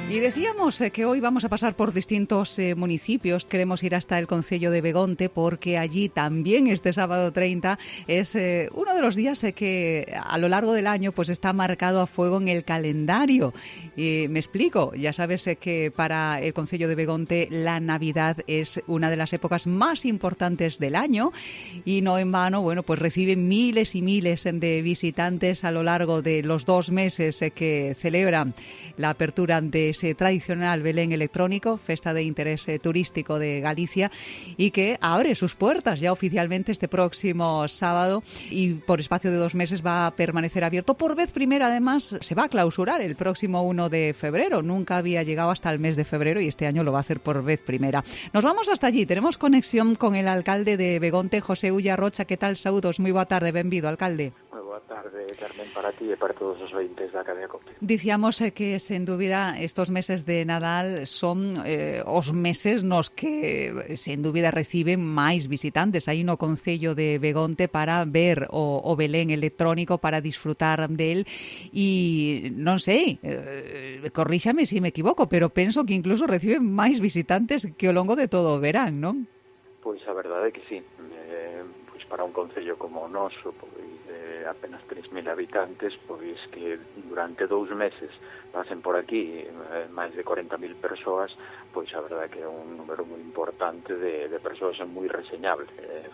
Y decíamos que hoy vamos a pasar por distintos municipios. Queremos ir hasta el concello de Begonte porque allí también este sábado 30 es uno de los días que a lo largo del año pues está marcado a fuego en el calendario. Me explico, ya sabes que para el concello de Begonte la Navidad es una de las épocas más importantes del año y no en vano, bueno, pues reciben miles y miles de visitantes a lo largo de los 2 meses que celebran la apertura de ese tradicional Belén electrónico, festa de interés turístico de Galicia, y que abre sus puertas ya oficialmente este próximo sábado y por espacio de 2 meses va a permanecer abierto. Por vez primera, además, se va a clausurar el próximo 1 de febrero. Nunca había llegado hasta el mes de febrero y este año lo va a hacer por vez primera. Nos vamos hasta allí. Tenemos conexión con el alcalde de Begonte, José Ulla Rocha. ¿Qué tal? Saúdos. Muy boa tarde. Benvido, alcalde. Boa tarde, Carmen, para ti e para todos os ointes da cadea COPE. Dicíamos que, sen dúbida, estos meses de Nadal son os meses nos que, sen dúbida, reciben máis visitantes aí no concello de Begonte para ver o Belén electrónico, para disfrutar del e, non sei, corríxame se me equivoco, pero penso que incluso reciben máis visitantes que ao longo de todo o verán, non? Pois a verdade é que sí. Pois para un concello como o noso, pois apenas 3.000 habitantes, pois que durante 2 meses pasen por aquí máis de 40.000 persoas, pois a verdade que é un número moi importante de persoas moi reseñable.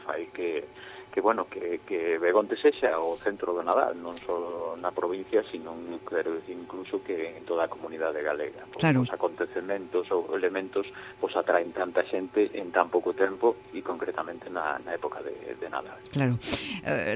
Fai que Begonte sexa o centro do Nadal, non só na provincia, sino, quero decir, incluso que en toda a comunidade galega. Claro. Os acontecementos ou elementos pois atraen tanta xente en tan pouco tempo e concretamente na época de Nadal. Claro.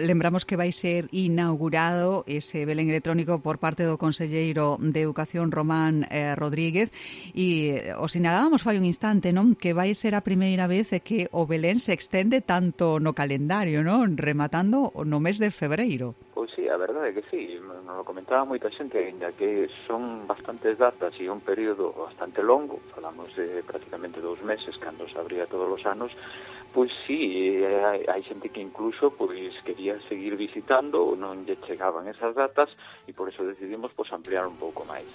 Lembramos que vai ser inaugurado ese Belén electrónico por parte do conselleiro de Educación, Román Rodríguez, e o sinalábamos fai un instante, non? Que vai ser a primeira vez que o Belén se extende tanto no calendario, non? Rematando no mes de febreiro. Pois sí, a verdade é que sí, nos lo comentaba moita xente, ainda que son bastantes datas e un período bastante longo, falamos de prácticamente 2 meses, cando se abría todos os anos, pois sí, hai xente que incluso pois quería seguir visitando, non lle chegaban esas datas, e por eso decidimos pois ampliar un pouco máis.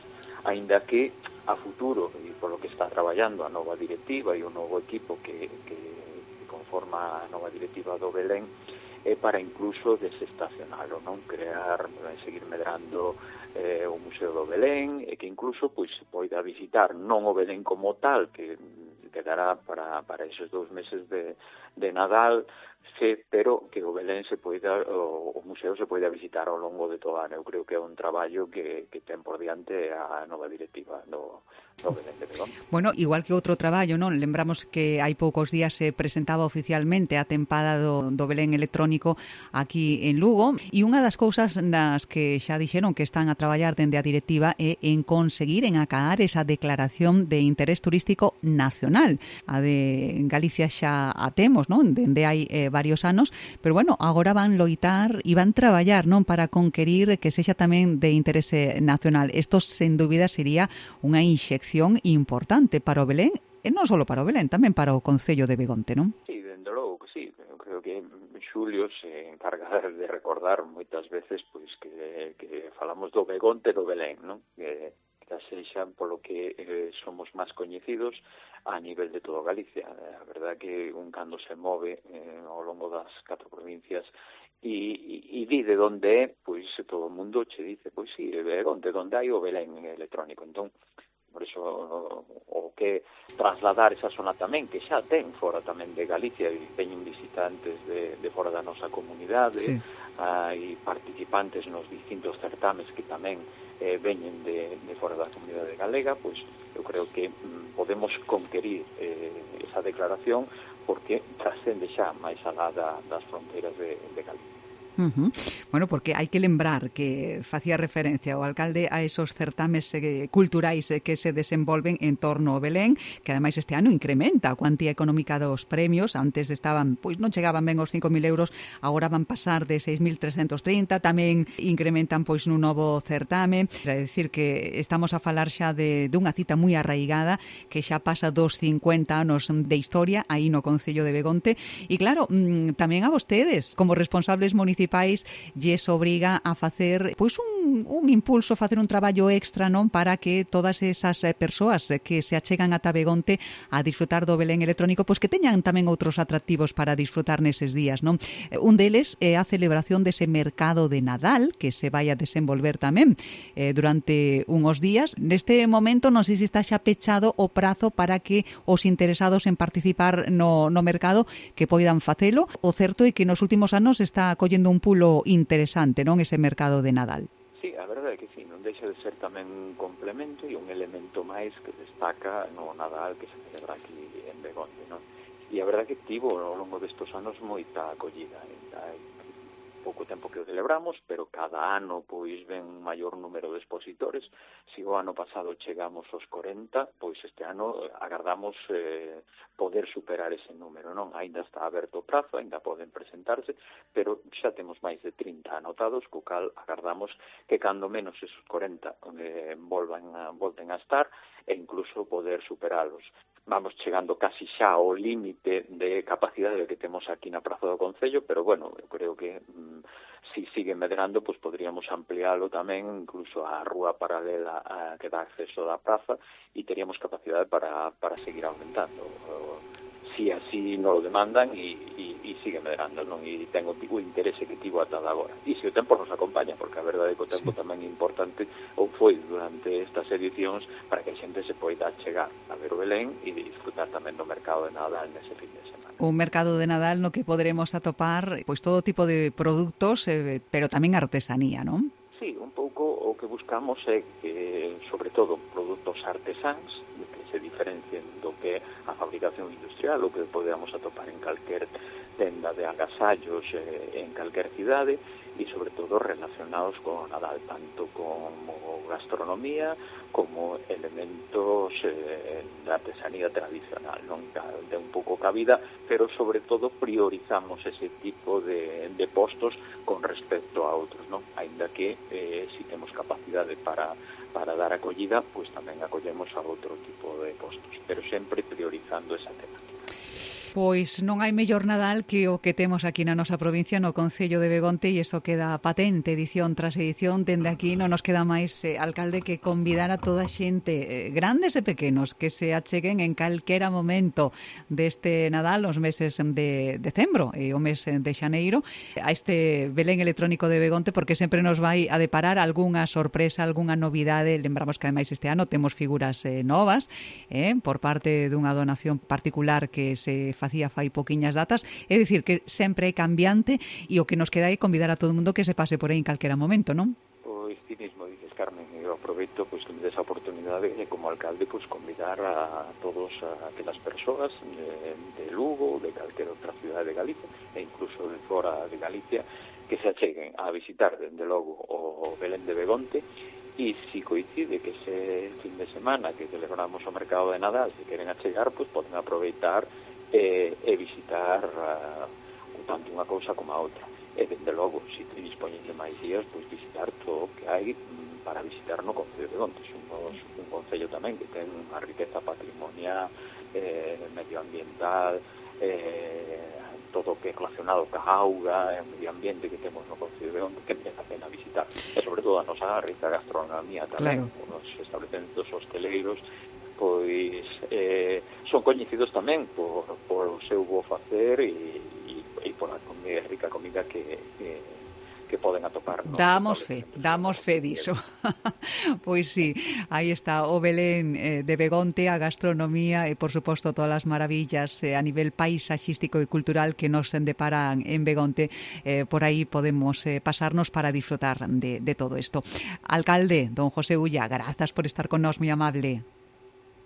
Ainda que a futuro, e polo que está traballando a nova directiva e o novo equipo que conforma a nova directiva do Belén, é para incluso desestacionalo, non? Seguir medrando o Museo do Belén, e que incluso pois se poida visitar non o Belén como tal, que quedará para esos 2 meses de Nadal, pero que o Belén o museo se poida visitar ao longo de todo o ano. Eu creo que é un traballo que ten por diante a nova directiva do Belén de Begonte. Bueno, igual que outro traballo, non? Lembramos que hai poucos días se presentaba oficialmente a tempada do Belén electrónico aquí en Lugo, e unha das cousas nas que xa dixeron que están a traballar dende a directiva é en conseguir acaar esa declaración de interés turístico nacional. A de Galicia xa a temos, non? Dende hai varios anos, pero bueno, agora van loitar e van traballar, non? Para conquerir que sexa tamén de interese nacional. Isto, sen dúbida, sería unha inxección importante para o Belén, e non só para o Belén, tamén para o concello de Begonte, non? Sí, dende logo que sí. Eu creo que Xulio se encarga de recordar moitas veces pois que falamos do Begonte do Belén, non? Que sexa polo que somos máis coñecidos a nivel de toda Galicia. A verdade que un cando se move ao longo das 4 provincias e di de onde é, pois todo o mundo che dice, pois sí, Begonte, onde hai o Belén electrónico. Entón, por iso o que trasladar esa zona tamén, que xa ten fora tamén de Galicia, e veñen visitantes de fora da nosa comunidade, sí. Hai participantes nos distintos certames que tamén veñen de fora da comunidade galega, pois eu creo que podemos conquerir esa declaración porque trascende xa máis alá das fronteiras de Galicia. Bueno, porque hai que lembrar que facía referencia o alcalde a esos certames culturais que se desenvolven en torno ao Belén, que ademais este ano incrementa a cuantía económica dos premios. Antes estaban, pois non chegaban ben os 5.000 euros, agora van pasar de 6.330, tamén incrementan pois nun novo certame. É dicir que estamos a falar xa dunha cita moi arraigada que xa pasa dos 50 anos de historia aí no concello de Begonte. E claro, tamén a vostedes, como responsables municipais, municipais lles obriga a facer pois un impulso, facer un traballo extra, non, para que todas esas persoas que se achegan ata Begonte a disfrutar do Belén electrónico, pois que teñan tamén outros atractivos para disfrutar neses días, non? Un deles é a celebración dese mercado de Nadal que se vai a desenvolver tamén durante unhos días. Neste momento non sei se está xa pechado o prazo para que os interesados en participar no mercado que poidan facelo. O certo é que nos últimos anos está collendo un pulo interesante, non, ese mercado de Nadal. Sí, a verdade é que sí, non deixa de ser tamén un complemento e un elemento máis que destaca no Nadal que se celebra aquí en Begonte, non? E a verdade é que tivo ao longo destes anos moita acollida. Hai pouco tempo que o celebramos, pero cada ano pois ven un maior número de expositores. Se o ano pasado chegamos aos 40, pois este ano agardamos poder superar ese número, non? Ainda está aberto o prazo, ainda poden presentarse, pero xa temos máis de 30 anotados, co cal agardamos que cando menos esos 40 volten a estar e incluso poder superalos. Vamos chegando casi xa ao límite de capacidade que temos aquí na Praza do Concello, pero bueno, eu creo que si sigue medrando, pues podríamos ampliálo tamén incluso á rúa paralela que dá acceso da praza e teríamos capacidade para seguir aumentando. Si así non o demandan e sigue medrando, non? E ten o interese que tivo ata agora. E se o tempo nos acompaña, porque a verdade é que o tempo tamén é importante, ou foi durante estas edicións, para que a xente se poida chegar a ver o Belén e disfrutar tamén do mercado de Nadal nese fin de semana. Un mercado de Nadal no que poderemos atopar pois todo tipo de produtos, pero tamén artesanía, non? Sí, un pouco o que buscamos é que, sobre todo, produtos artesáns, que se diferencien do que a fabricación industrial, o que podemos atopar en calquer tenda de agasallos en calquer cidade, e sobre todo relacionados con Nadal, tanto como gastronomía como elementos de artesanía tradicional, non? De un pouco cabida, pero sobre todo priorizamos ese tipo de postos con respecto a outros, non? Ainda que si temos capacidade para dar acollida, pois tamén acollemos a outro tipo de postos, pero sempre priorizando esa temática. Pois non hai mellor Nadal que o que temos aquí na nosa provincia, no Concello de Begonte, e iso queda patente edición tras edición. Dende aquí non nos queda máis, alcalde, que convidar a toda a xente, grandes e pequenos, que se acheguen en calquera momento deste Nadal, os meses de decembro e o mes de xaneiro, a este Belén electrónico de Begonte, porque sempre nos vai a deparar algunha sorpresa, algunha novidade. Lembramos que ademais este ano temos figuras novas por parte dunha donación particular que se facía fai poquiñas datas, é dicir que sempre é cambiante e o que nos queda é convidar a todo o mundo que se pase por aí en calquera momento, non? Pois ti mismo dices, Carmen, eu aproveito pois que me des a oportunidade de, como alcalde, pois convidar a todos aquelas persoas de Lugo, de calquera outra cidade de Galicia e incluso de fora de Galicia que se acheguen a visitar, dende logo, o Belén de Begonte. E se coincide que ese fin de semana que celebramos o mercado de Nadal, se queren achegar, pois poden aproveitar e visitar tanto unha cousa como a outra. E, dende logo, se dispoñen de máis días, pois visitar todo o que hai para visitar no Concello de Begonte. Somos un concello tamén que ten unha riqueza patrimonial, medioambiental, todo o que é relacionado ca auga e o medio ambiente que temos no Concello de Begonte, que merece a pena visitar. E, sobre todo, a nosa rica gastronomía tamén, claro. Os establecementos hosteleiros, pois son coñecidos tamén por o seu bo facer e por a rica comida que poden atopar. Damos fe diso. Pois sí, aí está o Belén de Begonte, a gastronomía e, por suposto, todas as maravillas a nivel paisaxístico e cultural que nos deparan en Begonte. Por aí podemos pasarnos para disfrutar de todo isto. Alcalde, don José Ulla, grazas por estar con nós, moi amable.